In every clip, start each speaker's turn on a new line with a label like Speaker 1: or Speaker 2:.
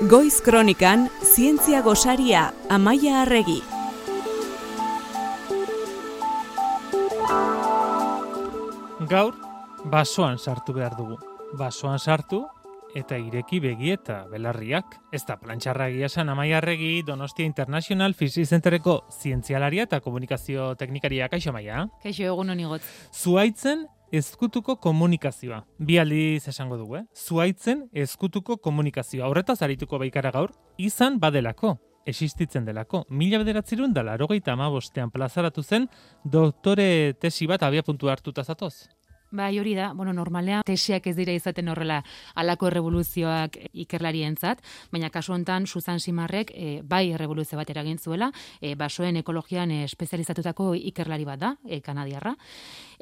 Speaker 1: Goiz Kronikan, zientzia gosaria, Amaia Arregi.
Speaker 2: Gaur, basoan sartu behar dugu. Basoan sartu eta ireki begi eta belarriak. Ez da plantxarra egia esan, Amaia Arregi, Donostia International Physics Centereko zientzialaria eta komunikazio teknikaria. Kaixo, Amaia?
Speaker 3: Kaixo, egun honi got.
Speaker 2: Zuhaitzen ezkutuko komunikazioa. Bi aldiz esango dugu, Zuhaitzen ezkutuko komunikazioa. Horretaz arituko baikara gaur, izan badelako, existitzen delako. 1985 plazaratu zen doktore tesi bat abiapuntua hartuta zatoz.
Speaker 3: Bai, hori da, normalean tesiak ez dira izaten horrela halako errevoluzioak ikerlarientzat, baina kasu honetan Suzan Simarrek bai errevoluzio bat eragin zuela, basoen ekologian espezializatutako ikerlari bat da, kanadiarra.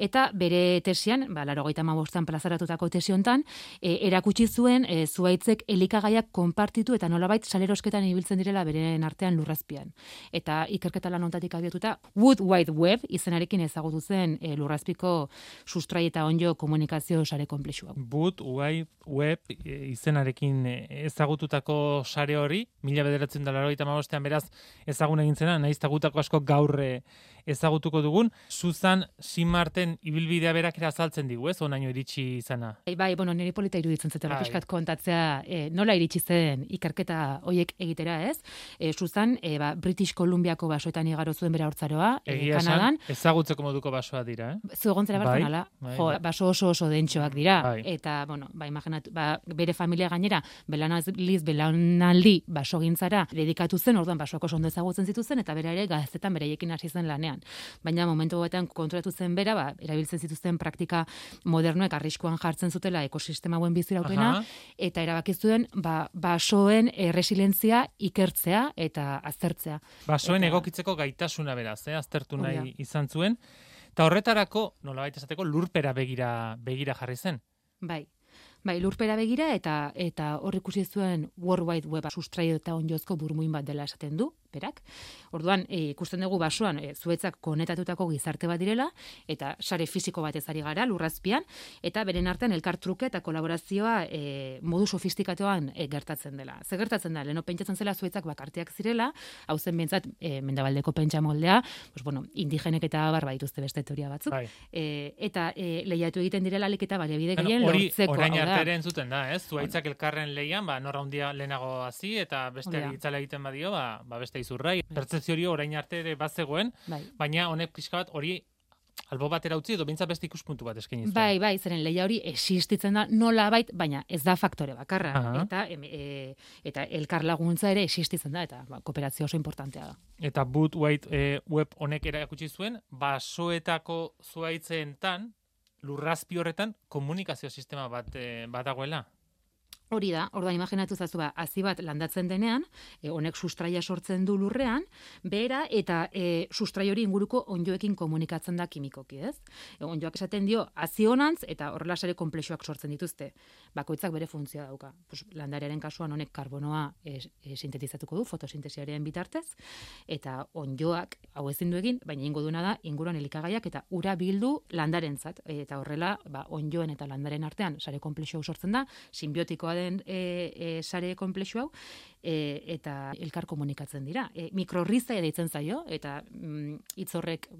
Speaker 3: Eta bere tesian, 85an plazaratutako tesi honetan, erakutsi zuen zuhaitzek elikagaiak konpartitu eta nolabait salerosketan ibiltzen direla beren artean lurrazpian. Eta ikerketa lan honetatik abiatuta, Wood Wide Web izenarekin ezagutu zen lurrazpiko sustrai eta onjo komunikazio sare konplexua.
Speaker 2: Wood Wide Web izenarekin ezagututako sare hori, 1985an beraz ezagun egin zena, nahiz gutako asko gaur ezagutuko dugun, Suzan Simarten ibilbidea berak azaltzen digu, ez, onaino iritsi izana.
Speaker 3: Bai, niri polita iruditzen zetela pixkat kontatzea nola iritsi zen ikerketa hoiek egitera, ez? Suzan, British Columbiako basoetan igaro zuen bera hortzaroa, Kanadan.
Speaker 2: Ezagutzeko moduko basoa dira,
Speaker 3: Zuegontzera barzenala, baso oso dentsoak dira. Eta, imaginatu, bere familia gainera, belanaldi basogintzara dedikatu zen, orduan basoak oso ondo ezagutzen zituzen, eta bera ere gazetan bereiekin hasi zen lanean. Baina momentu batean konturatu zen bera, erabiltzen zituzten praktika modernoek arriskuan jartzen zutela ekosistema hauen biziraupena, eta erabaki zuen basoen resilientzia ikertzea eta aztertzea.
Speaker 2: Basoen egokitzeko gaitasuna beraz, aztertu nahi izan zuen, eta horretarako, nolabait esateko, lurpera begira jarri zen.
Speaker 3: Bai, lurpera begira eta hor ikusi zuen World Wide Web sustraio eta onjozko burmuin bat dela esaten du, berak. Orduan, ikusten dugu basoan zuhaitzak konetatutako gizarte bat direla, eta sare fisiko bat ezari gara lurrazpian, eta beren artean elkartruke eta kolaborazioa modu sofistikatuan gertatzen dela. Ze gertatzen da, leheno pentsatzen zela zuhaitzak bakartiak zirela, hau zen bentsat mendebaldeko pentsa moldea, indigenek eta barba dituzte beste teoria batzuk, eta lehiatu egiten direla alik eta baliabide gehien lortzeko.
Speaker 2: Orain arte entzuten da, ez? Zuhaitzak elkarren lehian, norra hundia lehenago hasi, eta beste itzala egiten badio, beste izurrai. Pertzepzio hori orain arte ere bazegoen, baina honek pixka bat hori albo batera utzi edo bintzat beste ikuspuntu bat eskaini zuen.
Speaker 3: Bai, zeren lehia hori existitzen da nolabait, baina ez da faktore bakarra. Eta elkar laguntza ere existitzen da, eta kooperazio oso importantea da.
Speaker 2: Eta Wood Wide Web honek erakutsi zuen, basoetako zuhaitzeentan, lurrazpi horretan komunikazio sistema bat dagoela.
Speaker 3: Hori da, orduan imaginatu zazu hazi bat landatzen denean, honek sustraia sortzen du lurrean, behera eta sustrai hori inguruko onjoekin komunikatzen da kimikoki, ez? Onjoak esaten dio hazi honantz eta horrela sare konplexuak sortzen dituzte. Bakoitzak bere funtzioa dauka. Landarearen kasuan honek karbonoa sintetizatuko du fotosintesiaren bitartez, eta onjoak hau ezin du egin, baina ingo duena da inguruan elikagaiak eta ura bildu landarentzat, eta horrela onjoen eta landaren artean sare konplexu sortzen da, sinbiotikoa den sare konplexu hau, eta elkar komunikatzen dira. Mikrorrizaia deitzen zaio, eta hitz horrek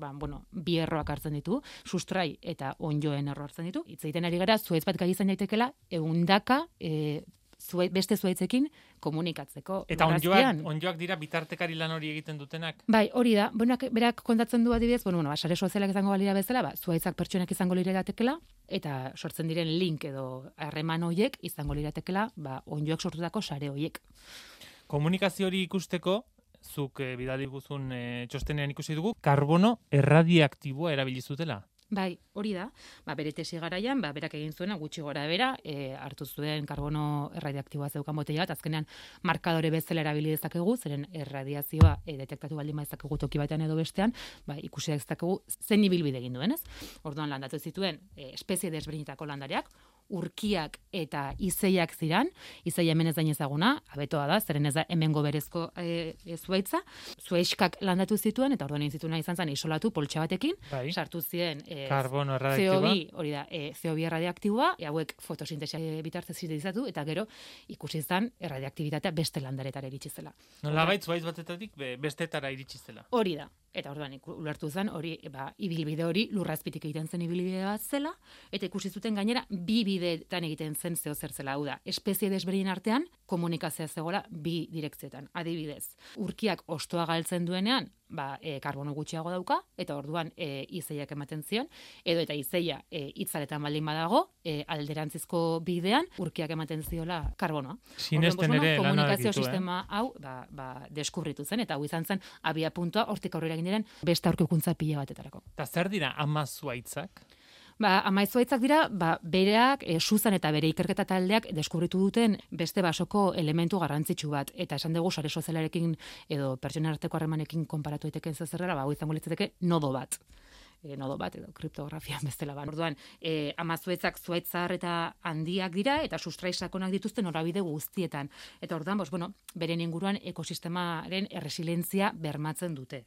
Speaker 3: bi erroak hartzen ditu, sustrai eta onjoen erro hartzen ditu. Hitz egiten ari gara, zuhaitz bat gai izan daitekela, ehundaka beste zuhaitzekin komunikatzeko.
Speaker 2: Eta onjoak dira bitartekari lan hori egiten dutenak?
Speaker 3: Bai, hori da. Berak kontatzen du adibidez, sare sozialak izango balira bezala, zuhaitzak pertsonak izango liratekela, eta sortzen diren link edo harreman horiek izango liratekela, onjoak sortutako sare horiek.
Speaker 2: Komunikazio hori ikusteko, zuk bidali guzun txostenean ikusi dugu, karbono erradiaktiboa erabili zutela.
Speaker 3: Bai, hori da. Bere tesi garaian, berak egin zuena gutxi gora bera, hartu zuen karbono erradiaktiboa zeukan botella bat, azkenean markadore bezala erabili dezakegu, zeren erradiazioa detektatu baldin dezakegu toki batean edo bestean, ikusi dezakegu zen ibilbide egin duen, ez? Orduan landatu zituen espezie desberdinetako landareak, urkiak eta izeiak ziran, izeia hemen ez da ezaguna, abetoa da, zeren ez da hemengo berezko zuaitza, zuaiskak landatu zituen, eta orduan egin zituen izan zen isolatu poltsa batekin,
Speaker 2: Bai.
Speaker 3: sartu ziren
Speaker 2: Karbono erradioaktiboa.
Speaker 3: CO2, hori da, CO2 erradioaktiboa, hauek fotosintesia bitartez sintetizatu, eta gero ikusi zen erradioaktibitatea beste landaretara iritsi zela.
Speaker 2: Nolabait zuaitz batetatik bestetara iritsi zela.
Speaker 3: Hori da. Eta orduan ulertu zen hori, ibilbide hori lurrazpitik egiten zen ibilbide bat zela, eta ikusi zuten gainera bi bideetan egiten zen zeo zer zela. Hau da, espezie desberdinen artean komunikazioa zegoela bi direkzioetan. Adibidez, urkiak hostoa galtzen duenean, karbono gutxiago dauka, eta orduan izeiak ematen zion, edo eta izeia itzaletan baldin badago, alderantzizko bidean, urkiak ematen ziola karbonoa.
Speaker 2: Sinesten
Speaker 3: orduan,
Speaker 2: ere lana
Speaker 3: komunikazio
Speaker 2: ditu,
Speaker 3: sistema hau deskubritu zen, eta hau izan zen abia puntua hortik aurrera egin diren beste aurkikuntza pila batetarako.
Speaker 2: Eta zer dira ama zuaitzak?
Speaker 3: Amaizzuaitzak dira, bereak, Suzan eta bere ikerketa taldeak deskubritu duten beste basoko elementu garrantzitsu bat. Eta esan dugu sare sozialarekin edo pertsonen arteko harremanekin konparatu daiteken zerrera, hau izango litzateke nodo bat edo kriptografia bestela ban. Orduan, amazuetzak zuaitz zahar eta handiak dira eta sustrai sakonak dituzte norabide guztietan. Eta orduan, beren inguruan ekosistemaren erresilientzia bermatzen dute.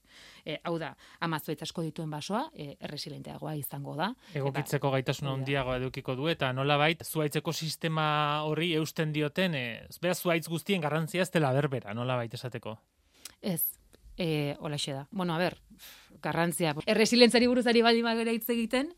Speaker 3: Hau da, amazuetz asko dituen basoa, erresilienteagoa izango da.
Speaker 2: Egokitzeko gaitasun handiagoa edukiko du, eta nolabait zuaitz ekosistema horri eusten dioten, beraz zuaitz guztien garrantzia ez dela berbera, nolabait esateko.
Speaker 3: Ez. Holaxe da. Garrantzia. Erresilientzari buruzari baldin bagera hitz egiten,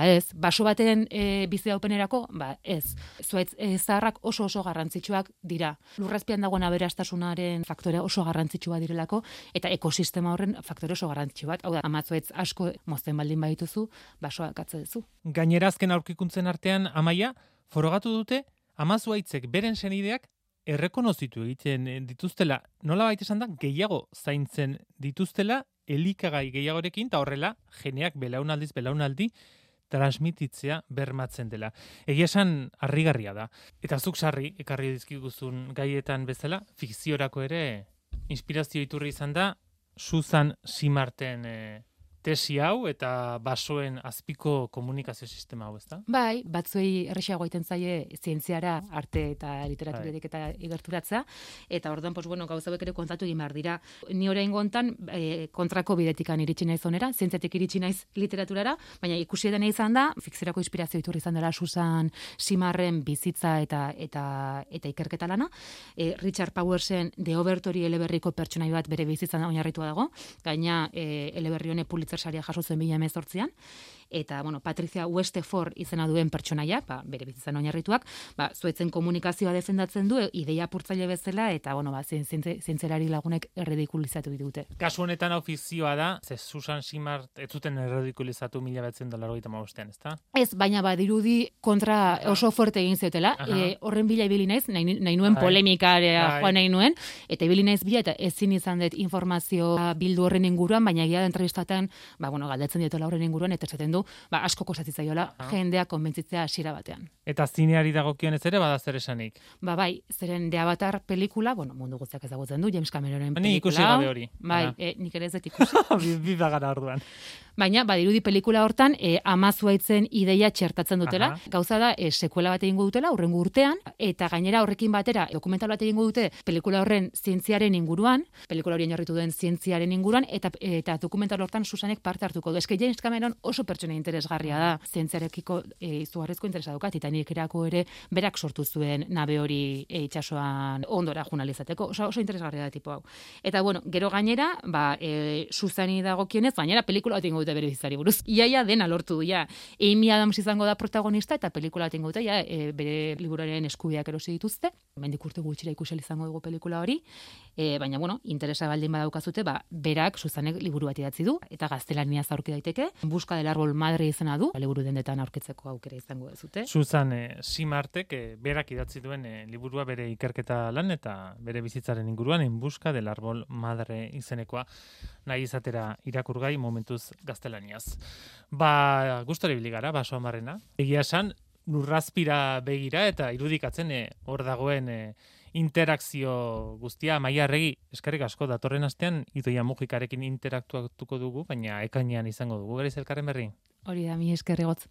Speaker 3: ez. Baso baten bizi daupenerako, ez. Zuaitz zaharrak oso garrantzitsuak dira. Lurrazpian dagoen aberastasunaren faktore oso garrantzitsua direlako, eta ekosistema horren faktore oso garrantzitsu bat. Hau da, amazuaitz asko mozten baldin badituzu, basoa katze duzu.
Speaker 2: Gainera azken aurkikuntzen artean, Amaia, forogatu dute, amazuaitzek beren senideak errekonozitu egiten dituztela, nolabait esan da, gehiago zaintzen dituztela, elikagai gehiagorekin, eta horrela, geneak belaunaldi transmititzea bermatzen dela. Egia esan, harrigarria da. Eta zuk sarri, ekarri dizkiguzun gaietan bezala, fikziorako ere, inspirazio iturri izan da, Suzan Simarten tesi hau eta basoen azpiko komunikazio sistema hau, ezta?
Speaker 3: Bai, batzuei erresago egiten zaie zientziara, arte eta literaturatik eta igerturatza, eta orduan, gauza hauek ere kontatu egin behar dira. Ni oraingo hontan kontrako bidetikan iritsi naiz onera, zientziatik iritsi naiz literaturara, baina ikusi dena izan da, fikziorako inspirazio iturri izan dela Suzan Simarren bizitza eta ikerketa lana. Richard Powersen The Overtory eleberriko pertsonai bat bere bizitzan oinarritua dago, gaina eleberri honek Pulitzer saria jaso zuen 2018an, eta Patricia Westeford izena duen pertsonaiak, bere bizitzan oinarrituak, zuaitzen komunikazioa defendatzen du, ideia apurtzaile bezala, eta zientzerari lagunek erredikulizatu ditute.
Speaker 2: Kasu honetan hau fikzioa da, ze Suzan Simard ez zuten erredikulizatu 1985ean, ezta?
Speaker 3: Ez, baina badirudi kontra oso fuerte egin zutela, horren bila ibili naiz, nahi nuen polemikarea joan nahi nuen, eta ibili naiz bila, eta ezin izan dut informazioa bildu horren inguruan, baina egia da entrevistaten, galdetzen dietola horren inguruan, eta esaten du, asko kosatitzaiola jendea konbentzitzea hasiera batean.
Speaker 2: Eta zineari dagokionez ere bada zer esanik?
Speaker 3: Bai, zeren The Avatar pelikula, mundu guztiak ezagutzen du, James Cameronen pelikula.
Speaker 2: Ni ikusi gabe hori.
Speaker 3: Bai, nik ere ez dut ikusi.
Speaker 2: Bi bagara orduan.
Speaker 3: Baina, badirudi pelikula hortan, amazuaitzen ideia txertatzen dutela. Gauza da, sekuela bat egingo dutela, hurrengo urtean, eta gainera horrekin batera, dokumental bat egingo dute, pelikula horren zientziaren inguruan, pelikula horien jarritu duen zientziaren inguruan, eta dokumental hortan Susanek parte hartuko du. Eske James Cameron oso pertsona interesgarria da, zientziarekiko izugarrizko interesa dauka, Titanicerako ere berak sortu zuen nabe hori itsasoan ondora joanalizateko, oso interesgarria da tipo hau. Eta gero gainera, Susani dagokienez, gainera pelikula bat egingo dute bere bizitzari buruz. Iaia dena lortu du, Amy Adams izango da protagonista, eta pelikula bat egingo dute, bere liburuaren eskubideak erosi dituzte. Hemendik urte gutxira ikusi izango dugu pelikula hori, baina, interesa baldin badaukazute, berak Susanek liburu bat idatzi du, eta gaztelaniaz aurki daiteke. Busca del árbol madre izena du, liburu dendetan aurkitzeko aukera izango dezute.
Speaker 2: Suzan Simartek berak idatzi duen liburua bere ikerketa lan eta bere bizitzaren inguruan En busca del árbol madre izenekoa nahi izatera irakurgai momentuz gaztelaniaz. Gustora ibili gara, baso amarrena. Egia esan, lurrazpira begira eta irudikatzen hor dagoen interakzio guztia. Amaia Arregi, eskerrik asko, datorren astean Idoia Mujikarekin interaktuatuko dugu, baina ekainean izango dugu. Gariz elkarren berri?
Speaker 3: Hori da, mi eskerrigotz.